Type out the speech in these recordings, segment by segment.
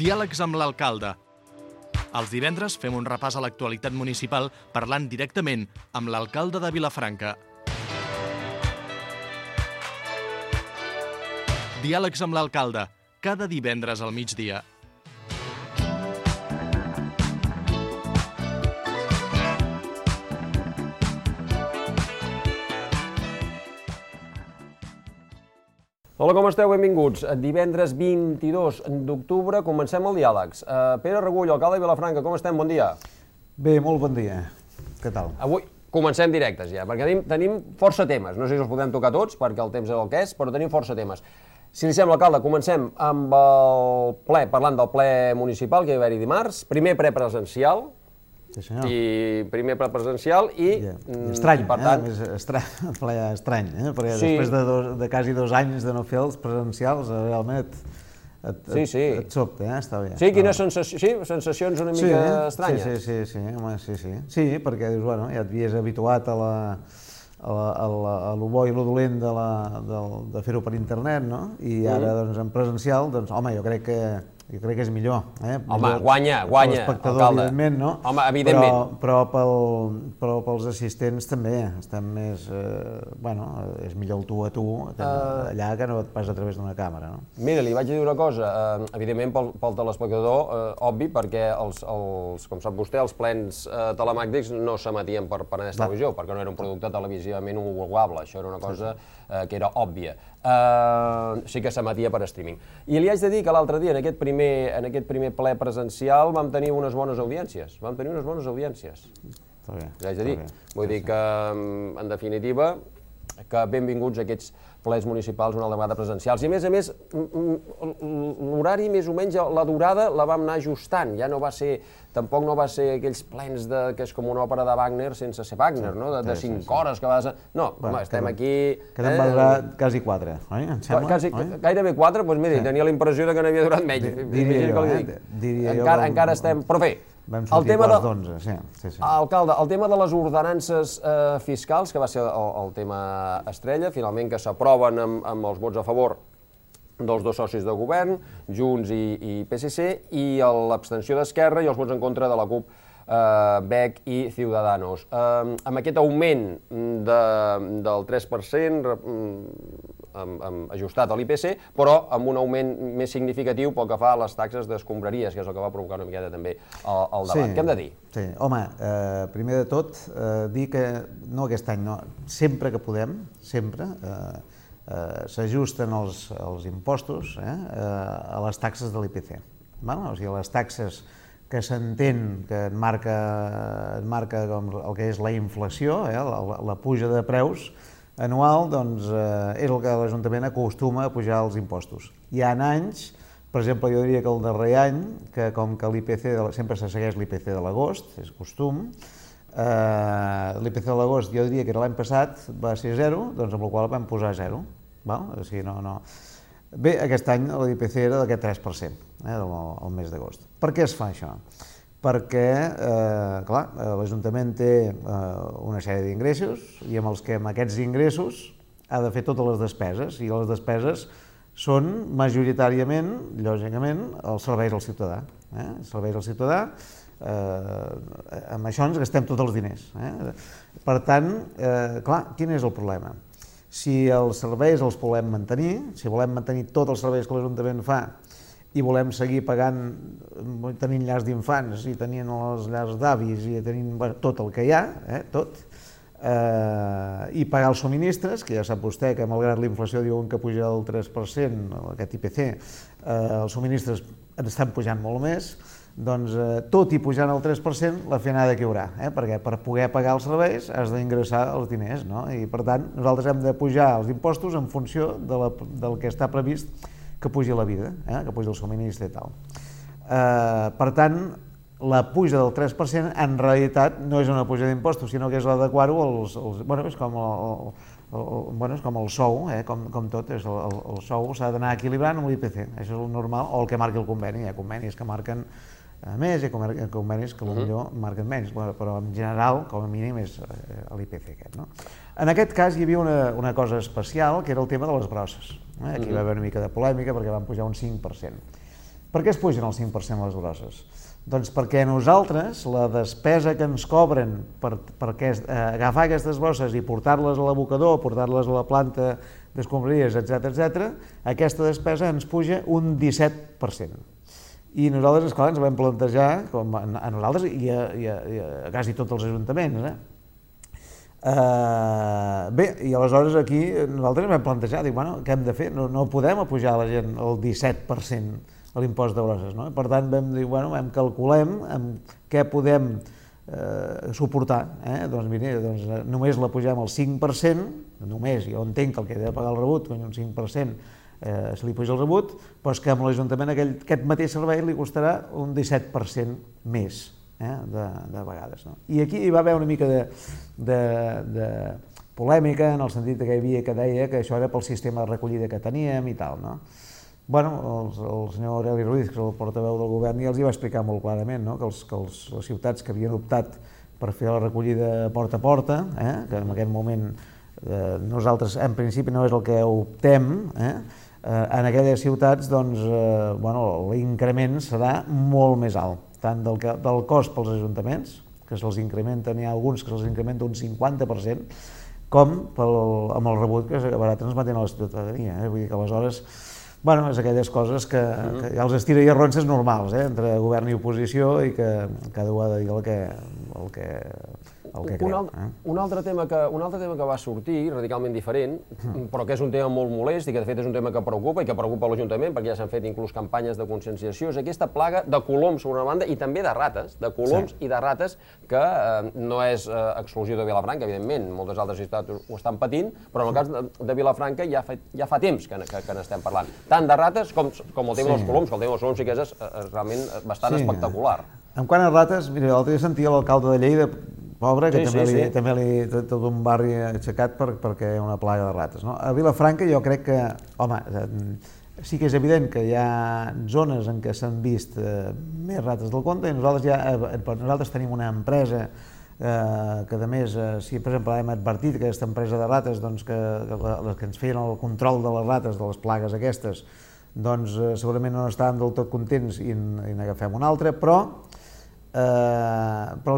Diàlegs amb l'alcalde. Els divendres fem un repàs a l'actualitat municipal parlant directament amb l'alcalde de Vilafranca. Diàlegs amb l'alcalde, cada divendres al migdia. Hola, com esteu? Benvinguts. Divendres 22 d'octubre comencem el Diàlegs. Pere Regull, alcalde de Vilafranca, com estem? Bon dia. Bé, molt bon dia. Què tal? Avui comencem directes ja, perquè tenim força temes. No sé si els podem tocar tots, perquè el temps és el que és, però tenim força temes. Si li sembla, alcalde, comencem amb el ple, parlant del ple municipal que hi va haver-hi dimarts. Primer ple presencial. Sí, senyor. I primer ple presencial i... Estrany, per tant... ple estrany, perquè després de quasi 2 anys de no fer els presencials, realment et sobta, està bé. Sí, quines sensacions una mica estranyes? Sí, perquè dius, bueno, ja t'havies habituat a lo bo i lo dolent de fer-ho per internet, no? I ara, doncs, en presencial, doncs, home, jo crec que és millor. Home, guanya, l'espectador, evidentment, no? Home, evidentment. Però pels assistents també estan més... Bueno, és millor el tu a tu allà que no et pas a través d'una càmera, no? Mira, li vaig dir una cosa, evidentment pel telespectador, obvi, perquè com sap vostè, els plens telemàtics no s'emetien per Penedès Televisió, perquè no era un producte televisivament homologable, això era una cosa que era òbvia. Sí que s'emetia per streaming. I li haig de dir que l'altre dia, en aquest primer ple presencial, vam tenir unes bones audiències. Està bé. Li haig de dir. Vull dir que, en definitiva, que benvinguts aquests plens municipals una altra vegada presencials. I a més, l'horari, més o menys, la durada la vam anar ajustant. Ja no va ser, tampoc no va ser aquells plens que és com una òpera de Wagner sense ser Wagner, no? De 5 hores que vas... No, home, estem aquí... Que va durar quasi 4, oi? Em sembla? Gairebé 4, doncs miri, tenia la impressió que n'havia durat menys. Diria jo. Encara estem... Però bé, vam sortir quarts d'11, sí. Alcalde, el tema de les ordenances fiscals, que va ser el tema estrella, finalment que s'aproven amb els vots a favor dels 2 socis de govern, Junts i PSC, i l'abstenció d'Esquerra i els vots en contra de la CUP, BEC i Ciudadanos. Amb aquest augment del 3%, ajustat a l'IPC, però amb un augment més significatiu pel que fa a les taxes d'escombraries, que és el que va provocar una miqueta també el debat. Què hem de dir? Sí, home, primer de tot, dir que, no aquest any, no, sempre que podem, sempre, s'ajusten els impostos a les taxes de l'IPC. O sigui, les taxes que s'entén que et marca com el que és la inflació, la puja de preus anual, doncs és el que l'Ajuntament acostuma a pujar els impostos. Hi ha anys, per exemple, jo diria que el darrer any, que com que l'IPC sempre se segueix l'IPC de l'agost, és costum, l'IPC de l'agost jo diria que l'any passat va ser 0, doncs amb la qual vam posar 0. O sigui, no... Bé, aquest any l'IPC era d'aquest 3%, el mes d'agost. Per què es fa això? Perquè, clar, l'Ajuntament té una sèrie d'ingressos i amb aquests ingressos ha de fer totes les despeses, i les despeses són majoritàriament, lògicament, els serveis al ciutadà. Els serveis al ciutadà, amb això ens gastem tots els diners. Per tant, clar, quin és el problema? Si els serveis els volem mantenir, si volem mantenir tots els serveis que l'Ajuntament fa i volem seguir pagant, tenint llars d'infants i tenint les llars d'avis i tenint tot el que hi ha, tot, i pagar els subministres, que ja sap vostè que malgrat la inflació diuen que puja el 3%, aquest IPC, els subministres estan pujant molt més, doncs tot i pujant el 3%, la feinada que hi haurà, perquè per poder pagar els serveis has d'ingressar els diners, no? I per tant nosaltres hem de pujar els impostos en funció del que està previst que pugi la vida, que pugi el subministre i tal. Per tant, la puja del 3% en realitat no és una puja d'impostos, sinó que és l'adequar-ho als... Bueno, és com el sou, com tot, el sou s'ha d'anar equilibrant amb l'IPC, això és el normal, o el que marqui el conveni. Hi ha convenis que marquen més i convenis que potser marquen menys, però en general, com a mínim, és l'IPC aquest. En aquest cas hi havia una cosa especial, que era el tema de les brosses. Aquí va haver una mica de polèmica perquè van pujar un 5%. Per què es pugen el 5% les grosses? Doncs perquè nosaltres la despesa que ens cobren per agafar aquestes bosses i portar-les a l'abocador, portar-les a la planta d'escombraries, etc., aquesta despesa ens puja un 17%. I nosaltres, esclar, ens vam plantejar, com a nosaltres i a quasi tots els ajuntaments, bé, i aleshores aquí nosaltres ens vam plantejar, dic, bueno, què hem de fer? No podem apujar a la gent el 17% a l'impost de grosses, no? Per tant, vam dir, bueno, calculem què podem suportar, doncs mira, només la pugem al 5%, només, jo entenc que el que ha de pagar el rebut, un 5%, se li puja el rebut, però és que amb l'Ajuntament aquest mateix servei li costarà un 17% més, de vegades. I aquí hi va haver una mica de polèmica, en el sentit que hi havia que deia que això era pel sistema de recollida que teníem i tal, no? Bueno, el senyor Aureli Ruiz, que és el portaveu del govern, ja els hi va explicar molt clarament que les ciutats que havien optat per fer la recollida porta a porta, que en aquest moment nosaltres en principi no és el que optem, en aquelles ciutats l'increment serà molt més alt, tant del cost pels ajuntaments, que se'ls incrementen, n'hi ha alguns que se'ls incrementa un 50%, com amb el rebut que acabarà transmetent a la ciutadania. Vull dir que aleshores és aquelles coses que ja els estira i arronses normals, entre govern i oposició, i que cada un ha de dir el que creu. Un altre tema que va sortir, radicalment diferent, però que és un tema molt molest i que de fet és un tema que preocupa i que preocupa l'Ajuntament, perquè ja s'han fet inclús campanyes de conscienciació, és aquesta plaga de coloms sobre una banda i també de rates, i de rates, que no és exclusió de Vilafranca, evidentment, moltes altres ciutats ho estan patint, però en el cas de Vilafranca ja fa temps que n'estem parlant. Tant de rates com el tema dels coloms, que el tema dels coloms sí que és realment bastant espectacular. En quant a rates, mira, l'altre dia sentia l'alcalde de Lleida, pobre, que també li tot un barri aixecat perquè hi ha una plaga de rates. A Vilafranca jo crec que, home, sí que és evident que hi ha zones en què s'han vist més rates del compte i nosaltres tenim una empresa que a més, si per exemple hem advertit que aquesta empresa de rates, que ens feien el control de les rates, de les plagues aquestes, doncs segurament no estàvem del tot contents i n'agafem una altra, però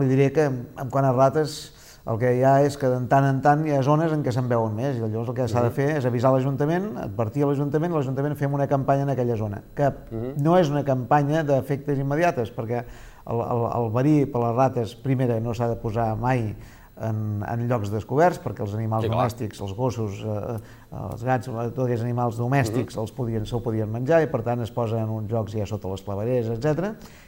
li diré que en quant a rates el que hi ha és que de tant en tant hi ha zones en què se'n veuen més i llavors el que s'ha de fer és avisar l'Ajuntament, advertir a l'Ajuntament fem una campanya en aquella zona, que no és una campanya d'efectes immediates, perquè el verí per les rates, primera, no s'ha de posar mai en llocs descoberts, perquè els animals domèstics, els gossos, els gats, tots aquests animals domèstics se'l podien menjar i per tant es posen en uns llocs ja sota les clavegueres, etc.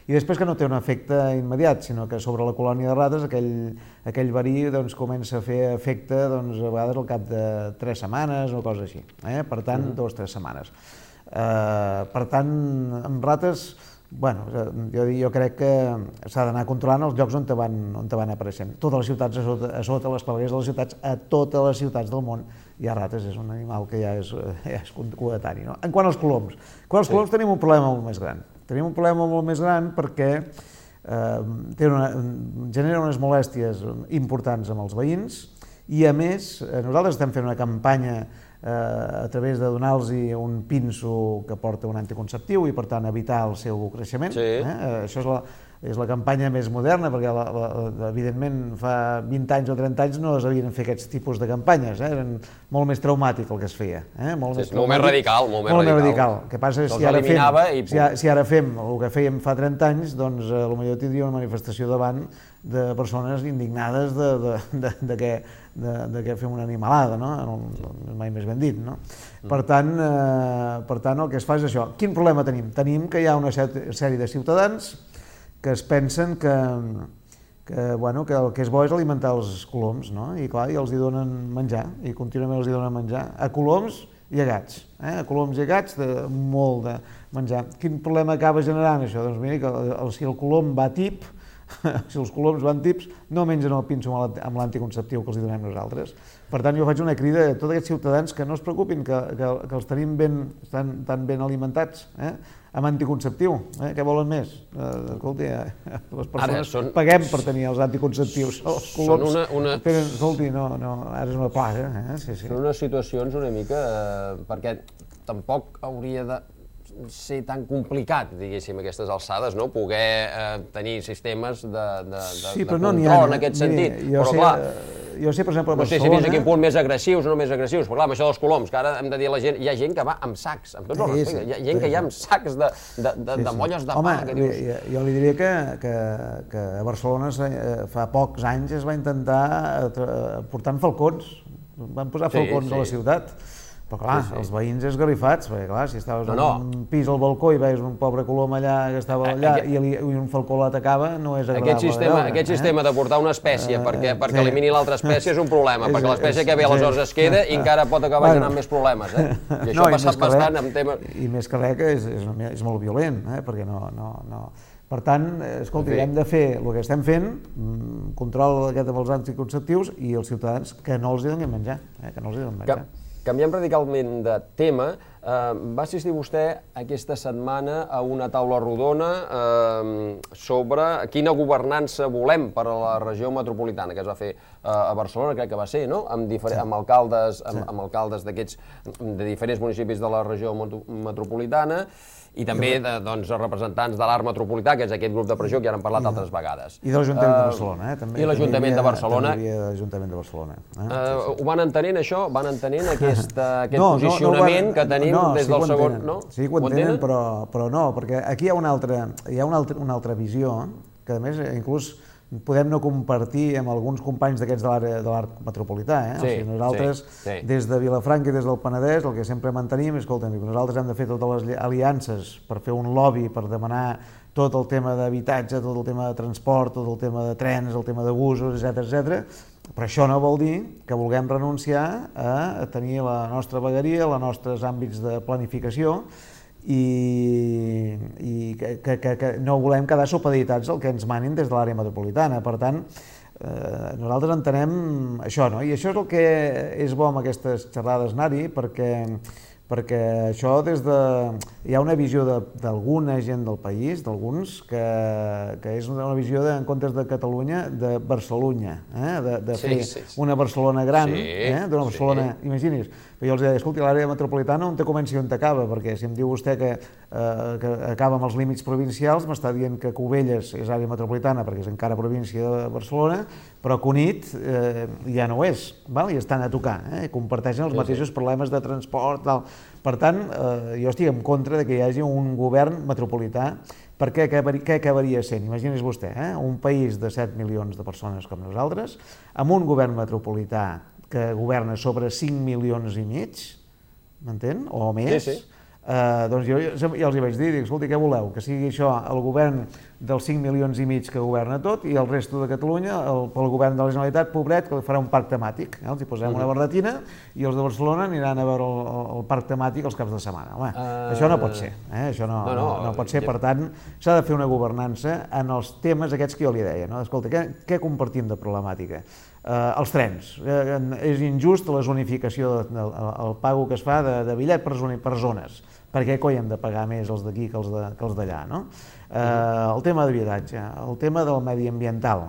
I després que no té un efecte immediat, sinó que sobre la colònia de rates aquell verí comença a fer efecte a vegades al cap de 3 setmanes o cosa així, per tant 2 o 3 setmanes. Per tant, amb rates, jo crec que s'ha d'anar controlant els llocs on van apareixent. Totes les ciutats, a sota les clavegueres de les ciutats, a totes les ciutats del món hi ha rates, és un animal que ja és coetani. En quant als coloms, tenim un problema molt més gran. Tenim un problema molt més gran perquè genera unes molèsties importants amb els veïns i a més nosaltres estem fent una campanya a través de donar-los un pinso que porta un anticonceptiu i per tant evitar el seu creixement. Això és la campanya més moderna perquè evidentment fa 20 anys o 30 anys no es havien fet aquests tipus de campanyes, eren molt més traumàtic el que es feia. Molt més radical. Molt més radical. El que passa és que si ara fem el que fèiem fa 30 anys, doncs potser tindria una manifestació davant de persones indignades de que fem una animalada, mai més ben dit. Per tant, el que es fa és això. Quin problema tenim? Tenim que hi ha una sèrie de ciutadans que es pensen que el que és bo és alimentar els coloms, i clar, i els hi donen menjar, i contínuament els hi donen menjar, a coloms i a gats, a coloms i a gats, molt de menjar. Quin problema acaba generant això? Doncs mira, que si el colom va tip, si els coloms van tips, no mengen el pinso amb l'anticonceptiu que els donem nosaltres. Per tant, jo faig una crida a tots aquests ciutadans que no es preocupin, que els tenim tan ben alimentats, amb anticonceptiu. Què volen més? Escolti, les persones paguem per tenir els anticonceptius. Els coloms tenen, escolti, ara és una plaga. Són unes situacions una mica, perquè tampoc hauria de... ser tan complicat, diguéssim, a aquestes alçades, no? Poder tenir sistemes de control en aquest sentit. Però clar, jo sé, per exemple, a no sé si fins a quin punt més agressius o no més agressius, però clar, amb això dels coloms, que ara hem de dir a la gent, hi ha gent que va amb sacs, amb tots els respectes, hi ha gent que hi ha amb sacs de molles de pa, que dius... Jo li diria que a Barcelona fa pocs anys es va intentar portar falcons, van posar falcons a la ciutat. Però clar, els veïns esgarrifats, perquè clar, si estaves en un pis al balcó i veies un pobre colom allà que estava allà i un falcó l'atacava, no és agradable. Aquest sistema de portar una espècie perquè elimini l'altra espècie és un problema, perquè l'espècie que ve aleshores es queda i encara pot acabar generant més problemes. I això ha passat bastant amb temes... I més que res que és molt violent, perquè no... Per tant, escolti, hem de fer el que estem fent, control aquest amb els anticonceptius i els ciutadans que no els donin menjar, que no els donin menjar. Canviem radicalment de tema. Va assistir vostè aquesta setmana a una taula rodona sobre quina governança volem per a la regió metropolitana, que es va fer a Barcelona, crec que va ser, no? Amb alcaldes d'aquests de diferents municipis de la regió metropolitana i també representants de l'Arc Metropolità, que és aquest grup de pressió que ja n'hem parlat altres vegades. I de l'Ajuntament de Barcelona, també. I l'Ajuntament de Barcelona. També hi havia l'Ajuntament de Barcelona. Ho van entenent, això? Van entenent aquest posicionament que tenim des del segon... Sí que ho entenen, però no, perquè aquí hi ha una altra visió, que a més inclús podem no compartir amb alguns companys d'aquests de l'Arc Metropolità. Nosaltres, des de Vilafranca i des del Penedès, el que sempre mantenim és, escolta, nosaltres hem de fer totes les aliances per fer un lobby, per demanar tot el tema d'habitatge, tot el tema de transport, tot el tema de trens, el tema de busos, etc. Però això no vol dir que vulguem renunciar a tenir la nostra vegueria, els nostres àmbits de planificació i que no volem quedar supeditats al que ens manin des de l'àrea metropolitana. Per tant, nosaltres entenem això, no? I això és el que és bo amb aquestes xerrades anar-hi, perquè això hi ha una visió d'alguna gent del país, d'alguns, que és una visió, en comptes de Catalunya, de Barcelunya, de fer una Barcelona gran, d'una Barcelona, imagini's. Però jo els deia, escolti, l'àrea metropolitana on te comença i on t'acaba, perquè si em diu vostè que acaba amb els límits provincials, m'està dient que Cubelles és àrea metropolitana perquè és encara província de Barcelona, però Cunit ja no ho és, i estan a tocar, comparteixen els mateixos problemes de transport. Per tant, jo estic en contra que hi hagi un govern metropolità, perquè què acabaria sent? Imagini's vostè, un país de 7 milions de persones com nosaltres, amb un govern metropolità que governa sobre 5 milions i mig, m'entén? O més. Doncs jo ja els hi vaig dir, escolti, què voleu? Que sigui això el govern dels 5 milions i mig que governa tot i el resto de Catalunya, pel govern de la Generalitat, pobret, que farà un parc temàtic. Els hi posem una barretina i els de Barcelona aniran a veure el parc temàtic els caps de setmana. Això no pot ser. Això no pot ser. Per tant, s'ha de fer una governança en els temes aquests que jo li deia. Escolta, què compartim de problemàtica? Els trens. És injust la zonificació, el pago que es fa de bitllet per zones. Per què coi hem de pagar més els d'aquí que els d'allà? El tema d'habitatge, el tema del mediambiental,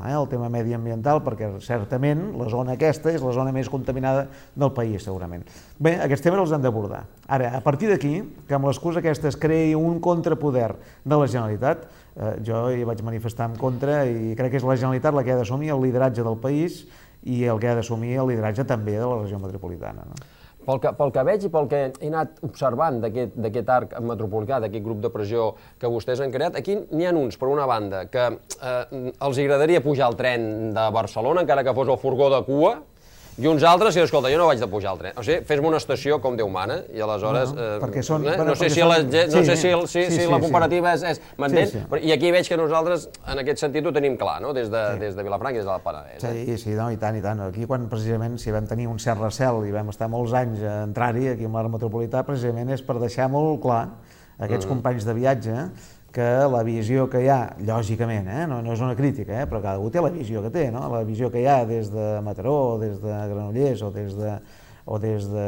perquè certament la zona aquesta és la zona més contaminada del país, segurament. Bé, aquests temes els hem d'abordar. Ara, a partir d'aquí, que amb l'excusa aquesta es creï un contrapoder de la Generalitat, jo hi vaig manifestar en contra i crec que és la Generalitat la que ha d'assumir el lideratge del país i el que ha d'assumir el lideratge també de la regió metropolitana. Pel que veig i pel que he anat observant d'aquest arc metropolità, d'aquest grup de pressió que vostès han creat, aquí n'hi ha uns, per una banda, que els agradaria pujar al tren de Barcelona, encara que fos el furgó de cua, i uns altres, i escolta, jo no vaig de pujar al tren. O sigui, fes-me una estació com Déu mana, i aleshores... No sé si la comparativa és... M'entén? I aquí veig que nosaltres, en aquest sentit, ho tenim clar, no? Des de Vilafranca i des del Penedès. Sí, i tant, i tant. Aquí, quan precisament, si vam tenir un cert recel i vam estar molts anys a entrar-hi, aquí amb l'àrea metropolità, precisament és per deixar molt clar aquests companys de viatge que la visió que hi ha, lògicament, no és una crítica, però cada un té la visió que té, la visió que hi ha des de Mataró, o des de Granollers, o des de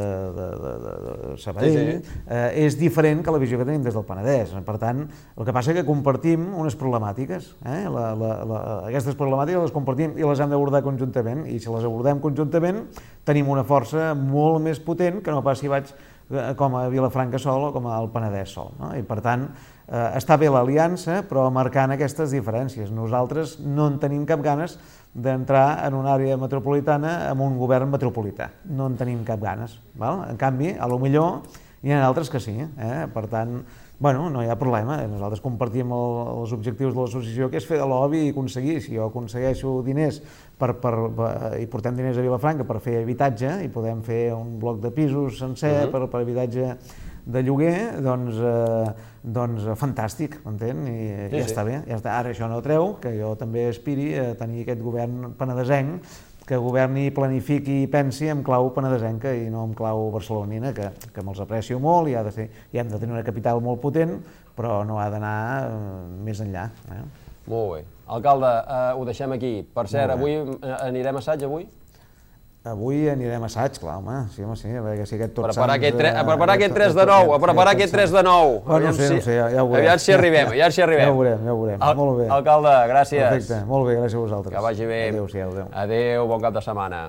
Sabadell, és diferent que la visió que tenim des del Penedès. Per tant, el que passa és que compartim unes problemàtiques. Aquestes problemàtiques les compartim i les hem d'abordar conjuntament, i si les abordem conjuntament tenim una força molt més potent que no pas si vaig com a Vilafranca sol o com al Penedès sol. No? I per tant, està bé l'aliança, però marcant aquestes diferències. Nosaltres no en tenim cap ganes d'entrar en una àrea metropolitana amb un govern metropolità. No en tenim cap ganes. Val? En canvi, a lo millor hi ha altres que sí. Per tant, bueno, no hi ha problema. Nosaltres compartim els objectius de l'associació, que és fer de lobby i aconseguir. Si jo aconsegueixo diners i portem diners a Vilafranca per fer habitatge i podem fer un bloc de pisos sencer per habitatge de lloguer, doncs fantàstic, m'entén? I ja està bé. Ara això no treu que jo també aspiri a tenir aquest govern penedesenc que governi, planifiqui i pensi en clau penedesenca i no en clau barcelonina, que me'ls aprecio molt i hem de tenir una capital molt potent, però no ha d'anar més enllà. Molt bé. Alcalde, ho deixem aquí. Per cert, avui anirem a assaig, avui? Avui anirem a assaig, clar, home, sí, a veure si aquest Tots Sants... A preparar aquest 3 de 9, a preparar aquest 3 de 9. No sé, ja ho veurem. Aviam si arribem, Ja ho veurem, molt bé. Alcalde, gràcies. Perfecte, molt bé, gràcies a vosaltres. Que vagi bé. Adéu-siau. Adéu, bon cap de setmana.